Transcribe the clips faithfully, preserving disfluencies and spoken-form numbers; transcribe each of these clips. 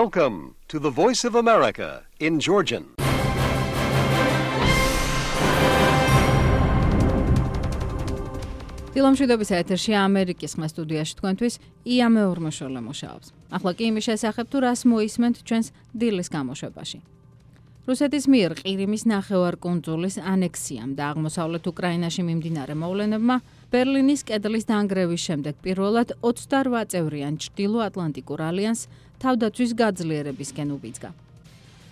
Welcome to the Voice of America in Georgian. დილომშვიდობის ეთერში ამერიკის ხმა სტუდიაში თქვენთვის ია მეორმოშოლე მუშაობს. ახლა კი იმის შესახებ თუ რას მოისმენთ ჩვენს დილის გამოშვებაში. რუსეთის მიერ ყირიმის ნახევარკუნძულის ანექსიამ და აღმოსავლეთ უკრაინაში მიმდინარე მოვლენებმა ბერლინის კედლის დანგრევის შემდეგ პირველად ოცდარვა წევრიან ჩრდილო-ატლანტიკურ ალიანსს თავდაცვის გაძლიერებისკენ უბიძგა.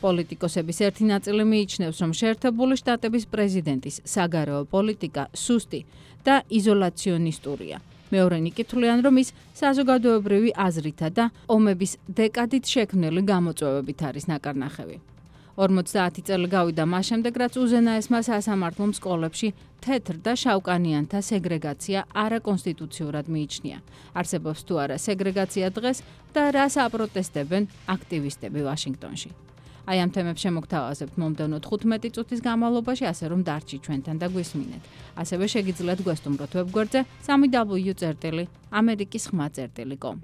პოლიტიკოსების ერთი ნაწილი მიიჩნევს, რომ შეერთებული შტატების პრეზიდენტის საგარეო პოლიტიკა სუსტი და იზოლაციონისტურია. მეორენი კითხულიან, რომ ის საზოგადოებრივი აზრითა და ომების დეკადით შექმნილი გამოწვევებით არის ნაკარნახევი. ორმოცდაათი წელი გავიდა მას შემდეგ, რაც უზენაესმა სასამართლომ სკოლებში თეთრ და შავკანიანთა სეგრეგაცია არაკონსტიტუციურად მიიჩნია. არსებობს თუ არა სეგრეგაცია დღეს და რას აპროტესტებენ აქტივისტები ვაშინგტონში. აი ამ თემებს შემოგთავაზებთ მომდევნო თხუთმეტი წუთის განმავლობაში, ასე რომ დარჩი ჩვენთან და გვისმინეთ. ასევე შეგიძლიათ გვესტუმროთ ვებგვერდზე სამი დაბლიუ წერტილი ამერიკის ხმა წერტილი კომ.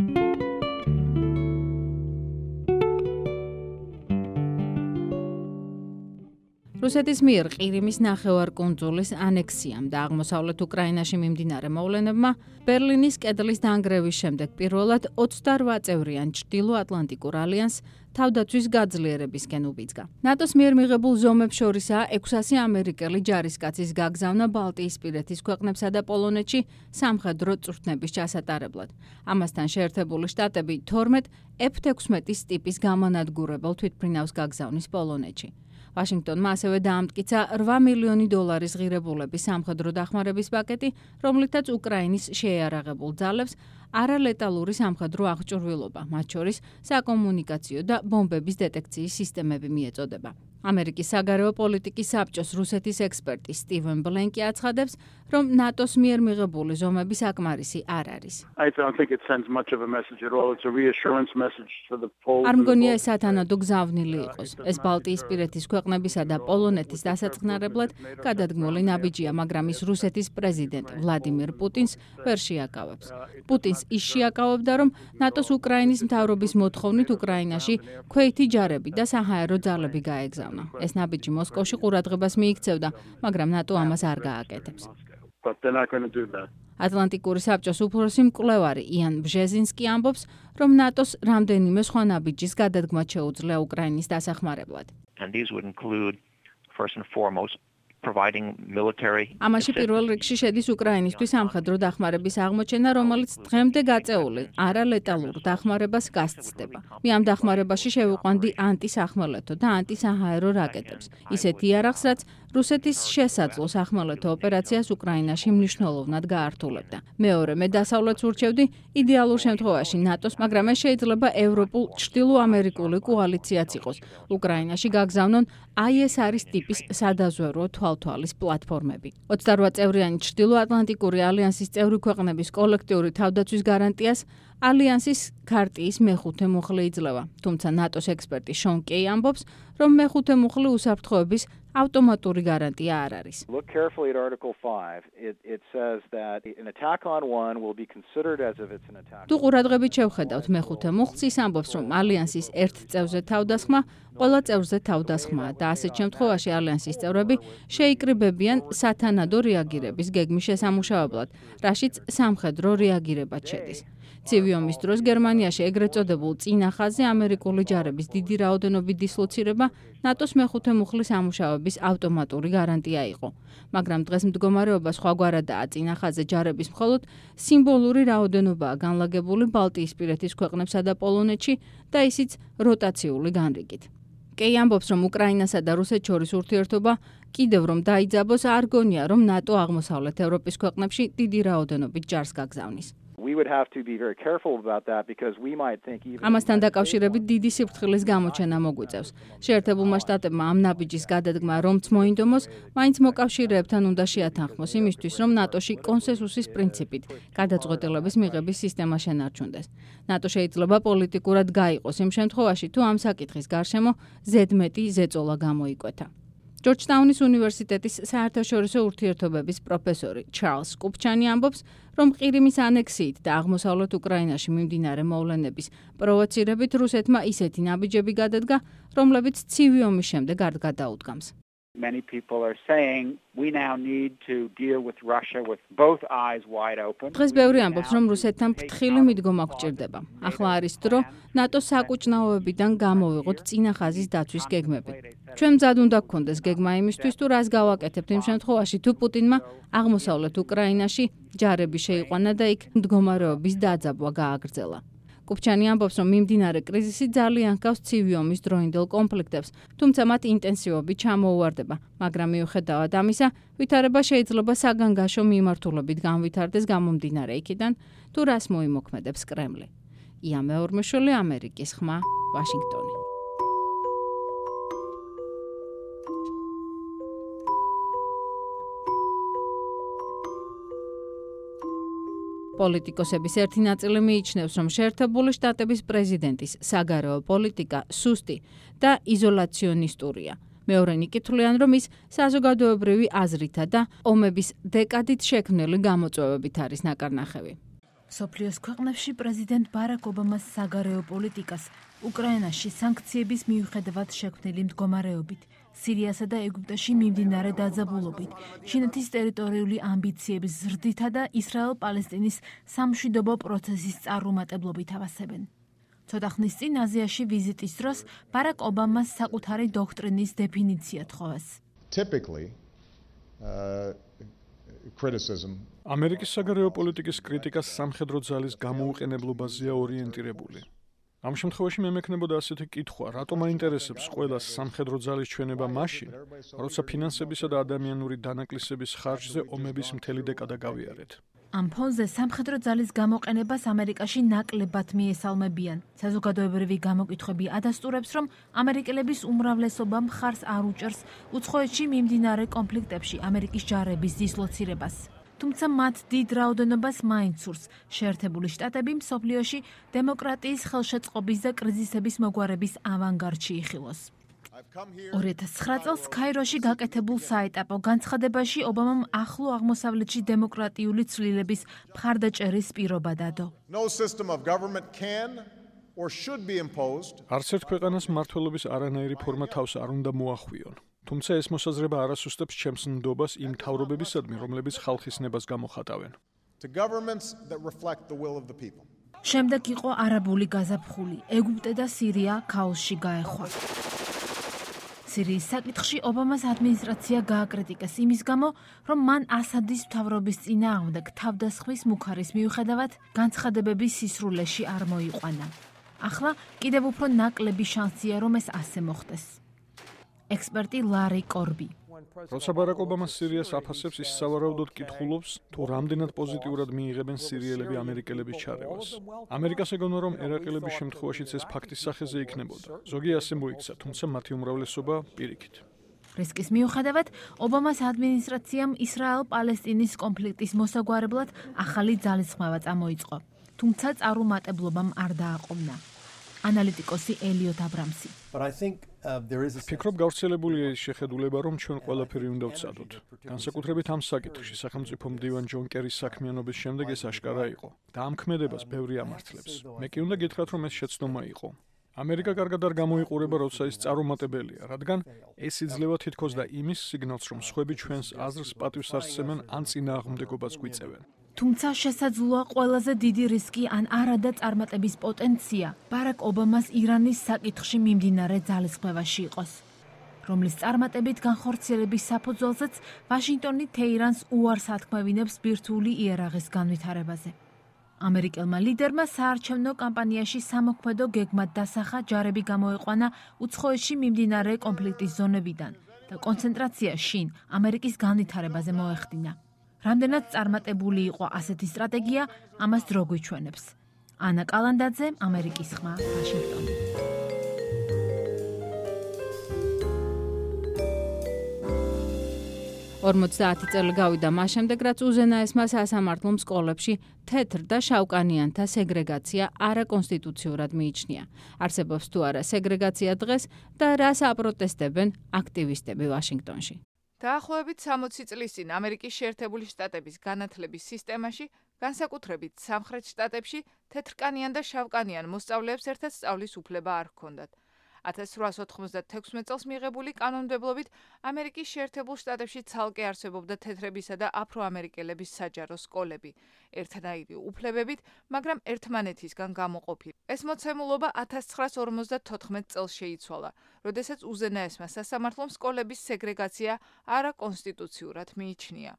რუსეთის მიერ ყირიმის ნახევარკუნძულის ანექსიამ და აღმოსავლეთ უკრაინაში მიმდინარე მოვლენებმა ბერლინის კედლის დანგრევის შემდეგ პირველად ოცდარვა წევრიან ჩრდილო-ატლანტიკურ ალიანსს თავდაცვის გაძლიერებისკენ უბიძგა. ნატოს მიერ მიღებულ ზომებს შორისაა ექვსასი ამერიკელი ჯარისკაცის გაგზავნა ბალტიისპირეთის ქვეყნებსა და პოლონეთში სამხედრო წვრთნების ჩასატარებლად. ამასთან შეერთებული შტატები თორმეტ ეფ ექვსმეტის ტიპის გამანადგურებელ თვითმფრინავს გაგზავნის პოლონეთში. ვაშინგტონმა ასევე დაამტკიცა რვა მილიონი დოლარის ღირებულების სამხედრო დახმარების პაკეტი, რომლითაც უკრაინის შეიარაღებულ ძალებს არალეტალური სამხედრო აღჭურვილობა, მათ შორის საკომუნიკაციო და ბომბების დეტექციის სისტემები მიეწოდება. ამერიკის საგარეო პოლიტიკის საბჭოს რუსეთის ექსპერტი სტივენ ბლენკი აცხადებს, რომ ნატოს მიერ მიღებული ზომები საკმარისი არ არის. არ მგონია ეს სათანადო გზავნილი იყოს. ეს ბალტიისპირეთის ქვეყნებისა და პოლონეთის დასაწყნარებლად გადადგმული ნაბიჯია, მაგრამ ის რუსეთის პრეზიდენტ ვლადიმირ პუტინს ვერ შეაკავებს. პუტინს ის შეაკავებდა, რომ ნატოს უკრაინის მთავრობის მოთხოვნით უკრაინაში ქვეითი ჯარები და საჰაერო ძალები გაეგზავნა. ეს ნაბიჯი მოსკოვში ყურადღებას მიიქცევდა, მაგრამ ნატო ამას არ გააკეთებს. ატლანტიკური საბჭოს უფროსი მკვლევარი იან ბჟეზინსკი ამბობს, რომ ნატოს რამდენიმე სხვა ნაბიჯის გადადგმა შეუძლია უკრაინის დასახმარებლად. ამაში პირველ რიგში შედის უკრაინისთვის სამხედრო დახმარების აღმოჩენა, რომელიც დღემდე გაწეული არალეტალურ დახმარებას გასცდება. მე ამ დახმარებაში შევიყვანდი ანტისახმელეთო და ანტისაჰაერო რაკეტებს. ისეთ იარაღს, რაც რუსეთის შესაძლო სახმელეთო ოპერაციას უკრაინაში მნიშვნელოვნად გაართულებდა. მეორე, მე დასავლეთს ურჩევდი იდეალურ შემთხვევაში ნატოს, მაგრამ ეს შეიძლება ევროპულ ჩრდილოამერიკული კოალიციაც იყოს. უკრაინაში გაგზავნონ აი ეს არის ტიპის სადაზვერვო თვალთვალის პლატფორმები. ოცდარვა წევრიანი ჩრდილოატლანტიკური ალიანსის წევრი ქვეყნების კოლექტიური თავდაცვის გარანტიას ალიანსის ქარტიის მეხუთე მუხლი იძლევა. თუმცა ნატოს ექსპერტი შონ კეი ამბობს, რომ მეხუთე მუხლი უსაფრთხოების ავტომატური გარანტია არ არის. თუ ყურადღებით შევხედავთ მეხუთე მუხლს, ის ამბობს, რომ ალიანსის ერთ წევრზე თავდასხმა ყველა წევრზე თავდასხმაა და ასეთ შემთხვევაში ალიანსის წევრები შეიკრიბებიან სათანადო რეაგირების გეგმის შესამუშავებლად, რაშიც სამხედრო რეაგირებაც შედის. ცივი ომის დროს გერმანიაში ეგრეთ წოდებულ წინა ხაზზე ამერიკული ჯარების დიდი რაოდენობით დისლოცირება ნატოს მეხუთე მუხლის ამუშავების ავტომატური გარანტია იყო. მაგრამ დღეს მდგომარეობა სხვაგვარადაა. წინა ხაზზე ჯარების მხოლოდ სიმბოლური რაოდენობაა განლაგებული ბალტიისპირეთის ქვეყნებსა და პოლონეთში და ისიც როტაციული განრიგით. კეი ამბობს, რომ უკრაინასა და რუსეთს შორის ურთიერთობა კიდევ რომ დაიძაბოს, არ გონია, რომ ნატო აღმოსავლეთ ევროპის ქვეყნებში დიდი რაოდენობით ჯარს გაგზავნის. ამასთან დაკავშირებით დიდი სიფრთხილის გამოჩენა მოგვიწევს. შეერთებულმა შტატებმა ამ ნაბიჯის გადადგმა რომც მოინდომოს, მაინც მოკავშირეებთან უნდა შეათანხმოს იმისთვის, რომ ნატოში კონსენსუსის პრინციპით გადაწყვეტილების მიღების სისტემა შენარჩუნდეს. ნატო შეიძლება პოლიტიკურად გაიყოს იმ შემთხვევაში, თუ ამ საკითხის გარშემო ზედმეტი ზეწოლა გამოიკვეთა. ჯორჯტაუნის უნივერსიტეტის საერთაშორისო ურთიერთობების პროფესორი ჩარლზ კუპჩანი ამბობს, რომ ყირიმის ანექსიით და აღმოსავლეთ უკრაინაში მიმდინარე მოვლენების პროვოცირებით რუსეთმა ისეთი ნაბიჯები გადადგა, რომლებიც ცივი ომის შემდეგ არ გადაუდგამს. Many people are saying we now need to deal with Russia with both eyes wide open. დღეს ბევრი ამბობს, რომ რუსეთთან ფრთხილი მიდგომა გვჭირდება. ახლა არის დრო ნატოს საკუჭნაოებიდან გამოვიღოთ წინა ხაზის დაცვის გეგმები. ჩვენ მზად უნდა გქონდეს გეგმა იმისთვის, თუ რას გავაკეთებთ იმ შემთხვევაში, თუ პუტინმა აღმოსავლეთ უკრაინაში ჯარები შეიყვანა და იქ მდგომარეობის დაძაბვა გააგრძელა. კუპჩანი ამბობს, რომ მიმდინარე კრიზისი ძალიან ჰგავს ცივი ომის დროინდელ კონფლიქტებს, თუმცა მათ ინტენსივობით ჩამოუვარდება, მაგრამ მიუხედავად ამისა, ვითარება შეიძლება საგანგაშო მიმართულებით განვითარდეს გამომდინარე იქიდან, თუ რას მოიმოქმედებს კრემლი. ია მეორმეშვილი, ამერიკის ხმა, ვაშინგტონი. პოლიტიკოსების ერთი ნაწილი მიიჩნევს, რომ შეერთებული შტატების პრეზიდენტის საგარეო პოლიტიკა სუსტი და იზოლაციონისტურია. მეორენი კითხულიან, რომ ის საზოგადოებრივი აზრითა და ომების დეკადით შექმნილი გამოწვევებით არის ნაკარნახევი. მსოფლიოს ქვეყნებში პრეზიდენტ ბარაკ ობამას საგარეო პოლიტიკას უკრაინაში სანქციების მიუხედავად შექმნილი მდგომარეობით, სირიასა და ეგვიპტეში მიმდინარე დაძაბულობით, ჩინეთის ტერიტორიული ამბიციების ზრდითა და ისრაელ-პალესტინის სამშვიდობო პროცესის წარუმატებლობით ავასებენ. ცოტა ხნის წინ აზიაში ვიზიტის დროს ბარაკ ობამას საკუთარი დოქტრინის დეფინიცია თხოვეს. Typically, uh, criticism ამერიკის საგარეო პოლიტიკის კრიტიკა სამხედრო ძალის გამოუყენებლობაზეა ორიენტირებული. ამ შემთხვევაში მე მექნებოდა ასეთი კითხვა, რატომ აინტერესებს ყველას სამხედრო ძალის ჩვენება მაშინ, როცა ფინანსებისა და ადამიანური დანაკლისების ხარჯზე ომების მთელი დეკადა გავიარეთ. ამ ფონზე სამხედრო ძალის გამოყენებას ამერიკაში ნაკლებად მიესალმებიან. საზოგადოებრივი გამოკითხვები ადასტურებს, რომ ამერიკელების უმრავლესობა მხარს არ უჭერს უცხოეთში მიმდინარე კონფლიქტებში ამერიკის ჯარების დისლოცირებას. თუმცა მათ დიდ რაოდენობას მაინც სურს შეერთებული შტატები მსოფლიოში დემოკრატიის ხელშეწყობის და კრიზისების მოგვარების ავანგარდში იხილოს. ორი ათას ცხრა წელს ქაიროში გაკეთებულ საეტაპო განცხადებაში ობამამ ახლო აღმოსავლეთში დემოკრატიული ცვლილების მხარდაჭერის პირობა დადო. არც ერთ ქვეყანას მმართველობის არანაირი ფორმა თავს არ უნდა მოახვიონ. თუმცა ეს მოსაზრება არ ასუსტებს ჩემს ნდობას იმ მთავრობებისადმი, რომლებიც ხალხის ნებას გამოხატავენ. შემდეგ იყო არაბული გაზაფხული, ეგვიპტე და სირია ქაოსში გაეხვა. სირიის საკითხში ობამას ადმინისტრაცია გააკრიტიკეს იმის გამო, რომ მან ასადის მთავრობის წინააღმდეგ თავდასხმის მუქარის მიუხედავად განცხადებების სისრულეში არ მოიყვანა. ახლა კიდევ უფრო ნაკლები შანსია, რომ ეს ასე მოხდეს. ექსპერტი ლარი კორბი. როცა ბარაკ ობამა სირიას აფასებს, ის სავარაუდოდ კითხულობს, თუ რამდენად პოზიტიურად მიიღებენ სირიელები ამერიკელების ჩარევას. ამერიკას ეგონა, რომ ერაყელების შემთხვევაშიც ეს ფაქტის სახეზე იქნებოდა. ზოგი ასე მოიქცა, თუმცა მათი უმრავლესობა პირიქით. რისკის მიუხედავად, ობამას ადმინისტრაციამ ისრაელ-პალესტინის კონფლიქტის მოსაგვარებლად ახალი ძალისხმევა წამოიწყო. თუმცა წარუმატებლობამ არ დააყოვნა. ანალიტიკოსი ელიოტ აბრამსი. ფიქრობ გავრცელებულია ის შეხედულება, რომ ჩვენ ყველაფერი უნდა ვცადოთ. განსაკუთრებით ამ საკითხში სახელმწიფო მდივან ჯონ კერის საქმიანობის შემდეგ ეს აშკარა იყო და ამ ქმედებას ბევრი ამართლებს. მე კი უნდა გითხრათ, რომ ეს შეცდომა იყო. ამერიკა კარგად არ გამოიყურება, როცა ის წარუმატებელია, რადგან ეს იძლევა თითქოს და იმის სიგნალს, რომ სხვები ჩვენს აზრს პატივს არსცემენ ან წინააღმდეგობას გვიწევენ. თუმცა შესაძლოა ყველაზე დიდი რისკი ან არადა წარმატების პოტენცია ბარაკ ობამას ირანის საკითხში მიმდინარე ძალისხმევაში იყოს, რომლის წარმატებით განხორციელების საფუძველზეც ვაშინგტონი თეირანს უარს ათქმევინებს ბირთვული იარაღის განვითარებაზე. ამერიკელმა ლიდერმა საარჩევნო კამპანიაში სამოქმედო გეგმად დასახა ჯარები გამოეყვანა უცხოეთში მიმდინარე კონფლიქტის ზონებიდან და კონცენტრაცია შინ ამერიკის განვითარებაზე მოეხდინა. რამდენად წარმატებული იყო ასეთი სტრატეგია, ამას დრო გვიჩვენებს. ანა კალანდაძე, ამერიკის ხმა, ვაშინგტონი. ორმოცდაათი წელი გავიდა მას შემდეგ, რაც უზენაესმა სასამართლომ სკოლებში თეთრ და შავკანიანთა სეგრეგაცია არაკონსტიტუციურად მიიჩნია. არსებობს თუ არა სეგრეგაცია დღეს და რას აპროტესტებენ აქტივისტები ვაშინგტონში. დაახლოებით სამოცი წლის წინ ამერიკის შეერთებული შტატების განათლების სისტემაში, განსაკუთრებით სამხრეთ შტატებში, თეთრკანიან და შავკანიან მოსწავლეებს ერთად სწავლის უფლება არ ჰქონდათ. ათას რვაასი ოცდაათი წელს მიღებული კანონმდებლობით ამერიკის შეერთებულ შტატებში ცალკე არსებობდა თეთრებისა და აფროამერიკელების საჯარო სკოლები, ერთნაირი უფლებებით, მაგრამ ერთმანეთისგან გამოყოფილი. ეს მოცემულობა ათას ცხრაასი ორმოცდათოთხმეტ წელს შეიცვალა, როდესაც უზენაესმა სასამართლომ სკოლების სეგრეგაცია არაკონსტიტუციურად მიიჩნია.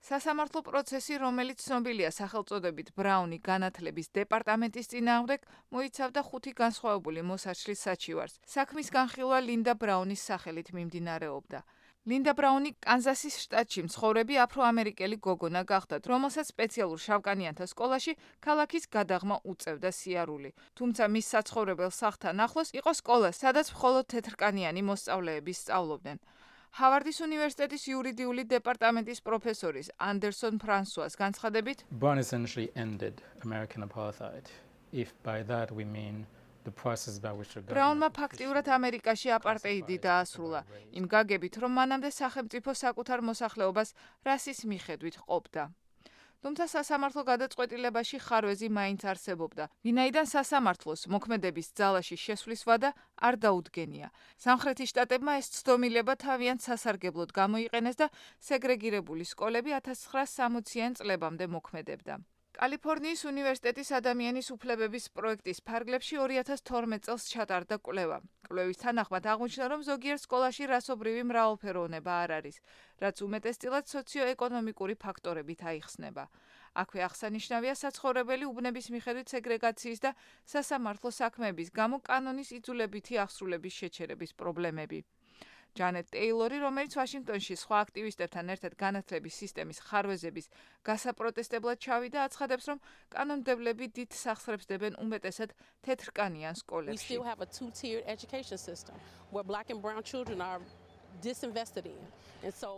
სასამართლო პროცესი, რომელიც ცნობილია სახელწოდებით ბრაუნი განათლების დეპარტამენტის წინააღმდეგ, მოიცავდა ხუთი განსხვავებული მოსაჩლის საჩივარს. საქმის განხილვა ლინდა ბრაუნის სახელით მიმდინარეობდა. ლინდა ბრაუნი კანზასის შტატში მცხოვრები აფროამერიკელი გოგონა გახდათ, რომელსაც სპეციალურ შავკანიანთა სკოლაში ქალაქის გადაღმა უწევდა სიარული. თუმცა მის საცხოვრებელ სახლთან ახლოს იყო სკოლა, სადაც მხოლოდ თეთრკანიანი მოსწავლეები სწავლობდნენ. ჰავარდის უნივერსიტეტის იურიდიული დეპარტამენტის პროფესორის ანდერსონ ფრანსუას განცხადებით, Brown essentially ended American apartheid. If by that we mean the process by which the ბრაუნმა ფაქტიურად ამერიკაში აპარტეიდი დაასრულა, იმ გაგებით, რომ მანამდე სახელმწიფო საკუთარ მოსახლეობას რასის მიხედვით ყოფდა. თუმცა სასამართლო გადაწყვეტილებაში ხარვეზი მაინც არსებობდა, ვინაიდან სასამართლოს მოქმედების ძალაში შესვლის ვადა არ დაუდგენია. სამხრეთის შტატებმა ეს ცდომილება თავიანთ სასარგებლოდ გამოიყენეს და სეგრეგირებული სკოლები ათას ცხრაასი სამოციან წლებამდე მოქმედებდა. კალიფორნიის უნივერსიტეტის ადამიანის უფლებების პროექტის ფარგლებში ორი ათას თორმეტ წელს ჩატარდა კვლევა. კვლევის თანახმად აღმოჩნდა, რომ ზოგიერთ სკოლაში რასობრივი მრავალფეროვნება არ არის, რაც უმეტესწილად სოციო-ეკონომიკური ფაქტორებით აიხსნება. აქვე აღსანიშნავია საცხოვრებელი უბნების მიხედვით სეგრეგაციის და სასამართლო საქმეების გამო კანონის იძულებითი აღსრულების შეჩერების პრობლემები. ჯანეტ ტეილორი, რომელიც ვაშინგტონში სხვა აქტივისტებთან ერთად განათლების სისტემის ხარვეზების გასაპროტესტებლად ჩავიდა, აცხადებს, რომ კანონმდებლები დიდ სახსრებს დებენ უმეტესად თეთრკანიან სკოლებში.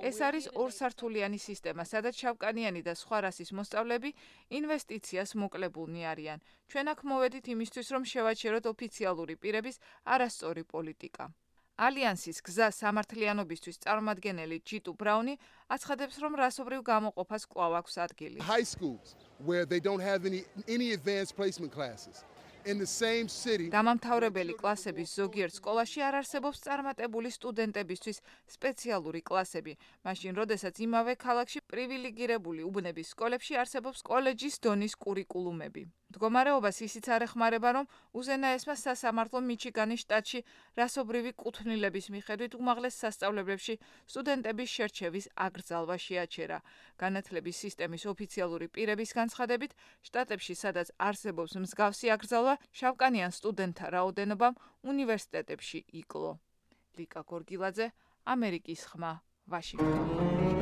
ეს არის ორსართულიანი სისტემა, სადაც შავკანიანი და სხვა რასის მოსწავლეები ინვესტიციას მოკლებულნი არიან. ჩვენ აქ მოვედით იმისთვის, რომ შევაჩეროთ ოფიციალური პირების არასწორი პოლიტიკა. ალიანსის გზა სამართლიანობისთვის წარმომადგენელი ჯიტუ ბრაუნი აცხადებს, რომ რასობრივ გამოყოფას კვლავ აქვს ადგილი. High schools where they don't have any any advanced placement classes. In the same city. დამამთავრებელი კლასების ზოგიერთ სკოლაში არ არსებობს წარმატებული სტუდენტებისთვის სპეციალური კლასები, მაშინ როდესაც იმავე ქალაქში პრივილეგირებული უბნების სკოლებში არსებობს კოლეჯის დონის კურიკულუმები. მდგომარეობას ისიც არ ეხმარება, რომ უზენაესმა სასამართლომ მიჩიგანის შტატში რასობრივი კუთვნილების მიხედვით უმაღლეს სასწავლებლებში სტუდენტების შერჩევის აკრძალვა შეაჩერა. განათლების სისტემის ოფიციალური პირების განცხადებით, შტატებში, სადაც არსებობს მსგავსი აკრძალვა, შავკანიან სტუდენტთა რაოდენობამ უნივერსიტეტებში იკლო. ლიკა გორგილაძე, ამერიკის ხმა, ვაშინგტონი.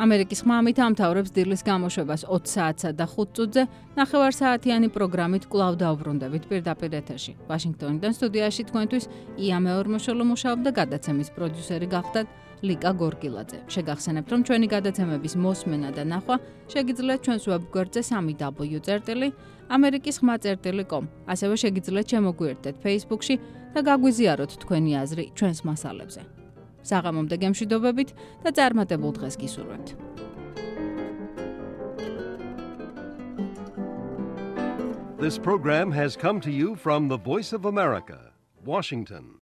ამერიკის ხმა ამით ამთავრებს დილის გამოშვებას ოცი საათსა და ხუთ წუთზე ნახევარსაათიანი პროგრამით კვლავ დაუბრუნდებით პირდაპირ ეთერში. ვაშინგტონიდან სტუდიაში თქვენთვის ია მეორმოშოლო მუშაობდა, გადაცემის პროდიუსერი გახდათ ლიკა გორგილაძე. შეგახსენებთ, რომ ჩვენი გადაცემების მოსმენა და ნახვა შეგიძლიათ ჩვენს ვებგვერდზე სამი დაბლიუ წერტილი ამერიკის ხმა წერტილი კომ. ასევე შეგიძლიათ შემოგვიერთდეთ Facebook-ში და გაგვიზიაროთ თქვენი აზრი ჩვენს მასალებზე. საღამომდე გემშვიდობებით და წარმატებულ დღეს გისურვებთ. This program has come to you from the Voice of America, Washington.